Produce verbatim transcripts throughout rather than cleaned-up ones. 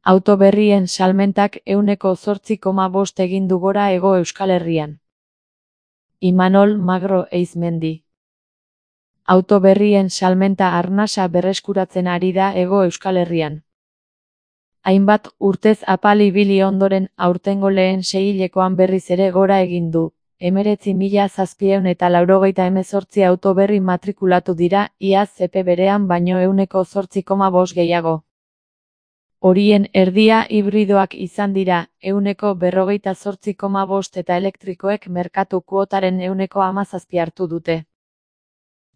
Auto berrien salmentak ehuneko zortzi koma bost egin du gora Hego Euskal Herrian. Imanol Magro Eizmendi. Auto berrien salmenta arnasa berreskuratzen ari da Hego Euskal Herrian. Hainbat urtez apal ibili ondoren aurtengo lehen seihilekoan berriz ere gora egin du. Hemeretzi mila zazpiehun eta laurogeita hemezortzi auto berri matrikulatu dira, iaz epe berean baino ehuneko zortzi koma bost gehiago. Horien erdia hibridoak izan dira, ehuneko berrogeita zortzi koma bost eta elektrikoek merkatu kuotaren ehuneko hamazazpi hartu dute.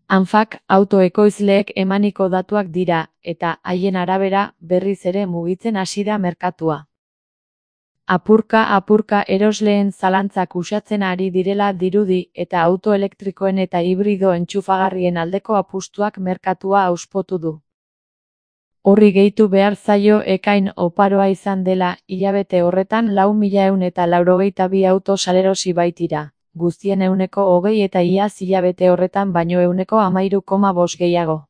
Anfak autoekoizleek emaniko datuak dira, eta haien arabera berriz ere mugitzen hasi da merkatua. Apurka-apurka erosleen zalantzak uxatzen ari direla dirudi eta auto elektrikoen eta hibrido entxufagarrien aldeko apustuak merkatua hauspotu du. Horri gehitu behar zaio ekain oparoa izan dela, hilabete horretan lau mila ehun eta laurogeita bi auto salerosi baitira, guztien ehuneko hogei eta iaz hilabete horretan baino ehuneko hamairu koma bost gehiago.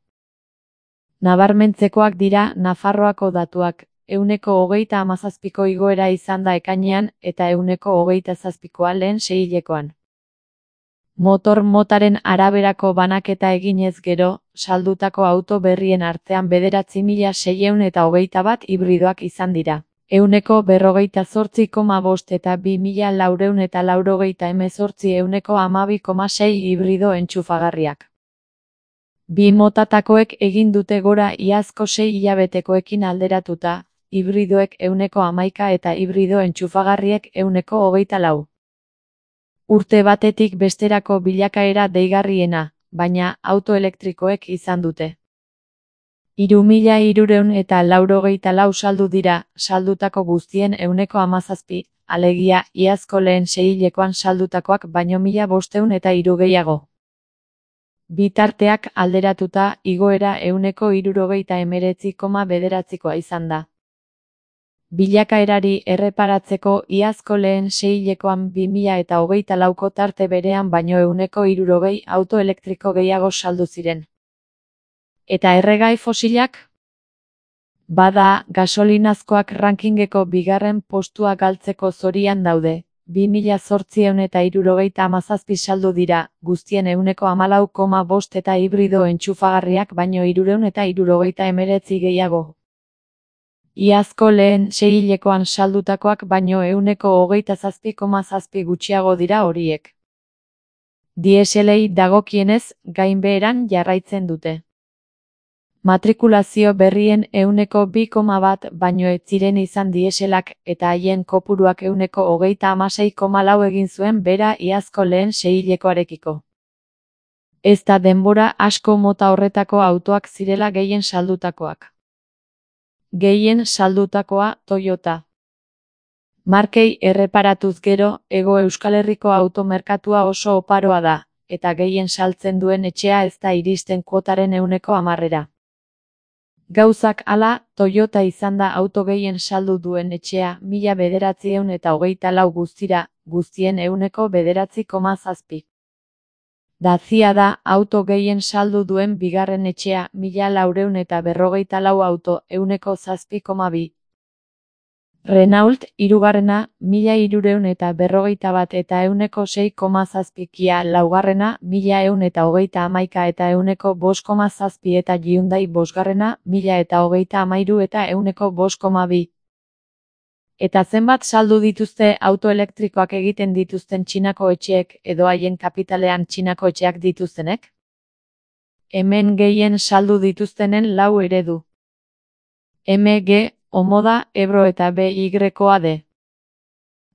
Nabarmentzekoak dira Nafarroako datuak, ehuneko hogeita hamazazpiko igoera izan da ekainean eta ehuneko hogeita zazpikoa lehen seihilekoan. Motor motaren araberako banaketa eginez gero, saldutako auto berrien artean bederatzi mila seiehun eta hogeita bat hibridoak izan dira. Ehuneko berrogeita zortzi koma bost eta bi mila laurehun eta laurogeita hemezortzi ehuneko hamabi koma sei hibrido entxufagarriak. Bi motatakoek egin dute gora iazko sei hilabetekoekin alderatuta, hibridoek ehuneko hamaika eta hibrido entxufagarriek ehuneko hogeita lau. Urte batetik besterako bilakaera deigarriena, baina auto elektrikoek izan dute. Hiru mila hirurehun eta laurogeita lau saldu dira, saldutako guztien ehuneko hamazazpi, alegia iazko lehen seihilekoan saldutakoak baino mila bostehun eta hiru gehiago. Bitarteak alderatuta igoera ehuneko hirurogeita hemeretzi koma bederatzikoa izan da. Bilakaerari erreparatzeko iazko lehen seihilekoan bi mila eta hogeita lauko tarte berean baino ehuneko hirurogei auto elektriko gehiago saldu ziren. Eta erregai fosilak? Bada, gasolinazkoak rankingeko bigarren postua galtzeko zorian daude. bi mila zortziehun eta hirurogeita hamazazpi saldu dira, guztien ehuneko hamalau koma bost eta hibrido entxufagarriak baino hirurehun eta hirurogeita hemeretzi gehiago. Iazko lehen seihilekoan saldutakoak baino ehuneko hogeita zazpi koma zazpi gutxiago dira horiek. Dieselei dagokienez, gainbeheran jarraitzen dute. Matrikulazio berrien ehuneko bi koma bat baino ez ziren izan dieselak eta haien kopuruak ehuneko hogeita hamasei koma lau egin zuen bera iazko lehen seihilekoarekiko. Ez da denbora asko mota horretako autoak zirela gehien saldutakoak. Gehien saldutakoa Toyota. Markei erreparatuz gero, Hego Euskal Herriko automerkatua oso oparoa da, eta gehien saltzen duen etxea ez da iristen kuotaren ehuneko hamarrera. Gauzak hala, Toyota izan da auto gehien saldu duen etxea mila bederatziehun eta hogeita lau guztira, guztien ehuneko bederatzi koma zazpi. Dacia da auto gehien saldu duen bigarren etxea mila laurehun eta berrogeita lau auto ehuneko zazpi koma bi. Renault hirugarrena mila hirurehun eta berrogeita bat eta ehuneko sei koma zazpi, Kia laugarrena mila ehun eta hogeita hamaika eta ehuneko bost koma zazpi eta Hyundai bosgarrena mila eta hogeita hamairu eta ehuneko bost koma bi. Eta zenbat saldu dituzte auto elektrikoak egiten dituzten Txinako etxeek edo haien kapitalean Txinako etxeak dituztenek? Hemen gehien saldu dituztenen lau eredu. M G, Omoda, Ebro eta B Y D.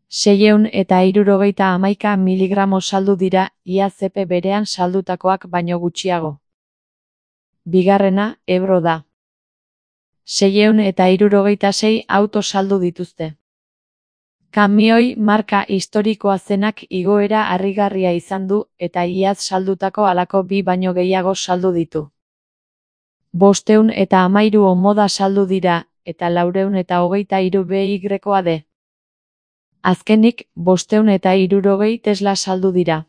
Seiehun eta hirurogeita hamaika miligramo saldu dira, iaz epe berean saldutakoak baino gutxiago. Bigarrena, Ebro da. Seiehun eta hirurogeita sei auto saldu dituzte. Kamioi marka historikoa zenak igoera harrigarria izan du eta iaz saldutako halako bi baino gehiago saldu ditu. Bostehun eta hamairu Omoda saldu dira, eta laurehun eta hogeita hiru B Y D. Azkenik, bostehun eta hirurogei Tesla saldu dira.